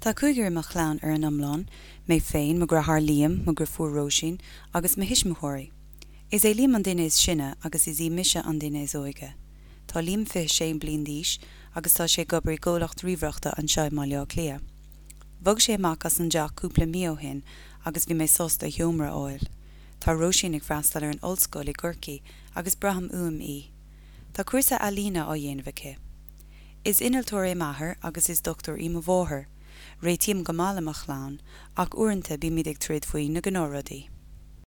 Tá cúigear i mo chlann ar an iomlán, mé féin, mo dheartháir Liam, mo dheirfiúr Róisín agus mo thuismitheoirí. Is é Liam an duine is sine agus is í mise an duine is óige. Tá Liam 26 bliain d'aois agus tá sé ag obair i gcomhlacht ríomhaireachta anseo i mBaile Átha Cliath. Bhog sé amach as an dteach cúpla mí ó shin agus bhí mé sásta a sheomra a fháil. Tá Róisín ag freastal ar an ollscoil i gCorcaigh agus braithim uaim í. Tá cúrsa ealaíne á dhéanamh aici. Is innealtóir é m'athair agus is dochtúir í mo mháthair. Réitím go maith le mo chlann, ach uaireanta bímid ag troid faoi na gnáthrudaí.